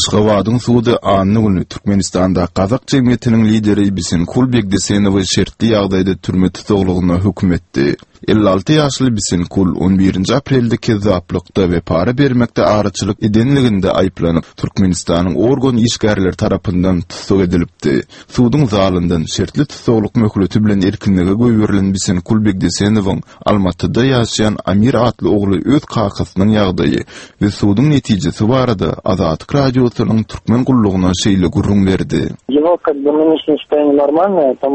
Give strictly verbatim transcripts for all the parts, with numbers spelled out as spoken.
Aşgabadyň sudy anna güni Türkmenistanda gazak jemgyýetiniň lideri Bisenkul Begdesenowy şertli ýagdaýda türme tussaglygyna höküm etdi. Elli alty ýaşly Bisenkul on birinji aprelde kezzaplykda we para bermekde araçylyk edenliginde aýyplanyp, Türkmenistanyň organ işgärleri tarapyndan tussag edilipdi. Suduň zalyndan şertli tussaglyk möhleti bilen erkinlige goýberilen Bisenkul Begdesenowyň Almatyda ýaşaýan Amir atly ogly öz kakasynyň ýagdaýy we suduň netijesi barada Azatlyk Radiosynyň Türkmen gullugyna şeýle gürrüň berdi. Его как бы нынешнее состояние нормальное, там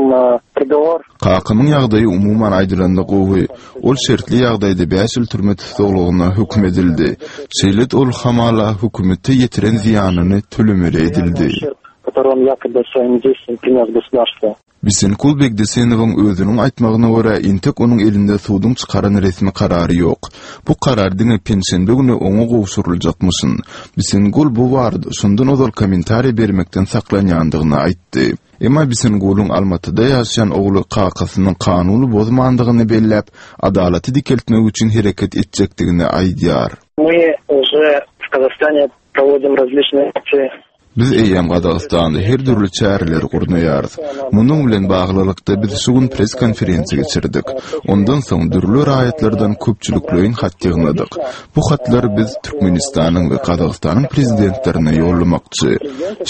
приговор. Kakamyň ýagdaýy umuman aýdylanda gowy. Ol şertli ýagdaýda bäş ýyl türme tussaglygyna höküm edildi. Şeýle-de ol hamala hökümete ýetiren zyýanyny tölemeli edildi. Который он якобы своим действием принес государству. Bisenkul Begdesenowyň özüniň aýtmagyna görä, entek onuň elinde suduň çykaran resmi karary ýok. Bu karar diňe penşenbe güni oňa gowşuryljakmyşyn. Bisenkul bu barada şondan ozal kommentariý bermekden saklanýandygyny aýtdy. Emma Bisenkulyň Almatyda ýaşaýan ogly kakasynyň kanuny bozmandygyny belläp, adalaty dikeltmek üçin hereket etjekdigini aýdýar. Мы уже в Казахстане проводим различные акции. Biz eýýäm Gazagystanda her dürli çäreleri gurnaýarys. Munuň bilen baglylykda biz şu gün press konferensiýa geçirdik. Ondan soň dürli raýatlardan köpçülikleýin hat ýygnadyk. Bu hatlary biz Türkmenistanyň we Gazagystanyň prezidentlerine ýollamakçy.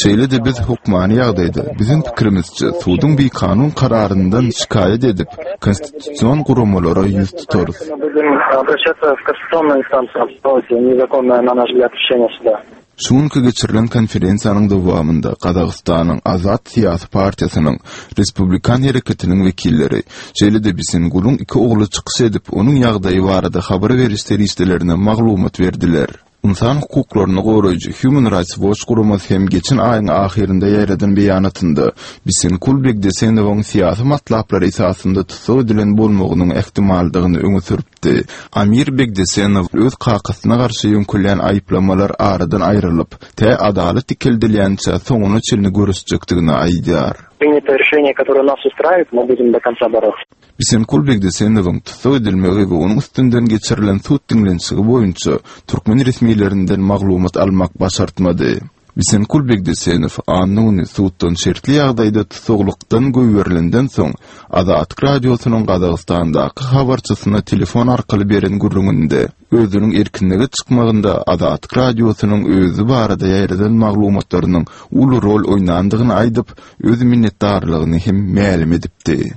Şeýle-de biz hökmany ýagdaýda biziň pikirimizçe suduň bikanun kararyndan şikaýat edip, konstitusion guramalara ýüz tutarys. Мы будем обращаться в конституционную инстанцию, незаконное, на наш взгляд, решение суда. Şu günki geçirilen konferensiýanyň dowamynda Gazagystanyň Azat syýasy partiýasynyň Respublikan hereketiniň wekilleri, şeýle-de Bisengulyň iki ogly çykyş edip, onuň ýagdaýy barada habar beriş serişdelerine maglumat berdiler. Ynsan hukuklaryny goraýjy Human Rights Watch guramasy hem geçen aýyň ahyrynda ýaýradan beýanatynda Bisenkul Begdesenowyň syýasy matlaplary esasynda tussag edilen bolmagynyň ähtimaldygyny öňe sürüpdi. Amir Begdesenow öz kakasyna garşy ýöňkülýän aýyplamalar aradan aýrylyp, tä adalat dikeldilýänçä soňuna çenli göreşjekdigini aýdýar. Принято решение, которое нас устраивает, мы будем до конца бороться. Bisenkul Begdesenowyň tussag edilmegi we onuň üstünden geçirilen sud diňlenişigi boýunça türkmen resmilerinden maglumat almak başartmady. Bisenkul Begdesenow anna güni suddan şertli ýagdaýda tussaglykdan goýberilenden soň Azatlyk Radiosynyň Gazagystandaky habarçysyna telefon arkaly beren gürrüňinde özüniň erkinlige çykmagynda Azatlyk Radiosynyň özi barada ýaýradan maglumatlarynyň uly rol oýnandygyny aýdyp, öz minnetdarlygyny hem mälim edipdi.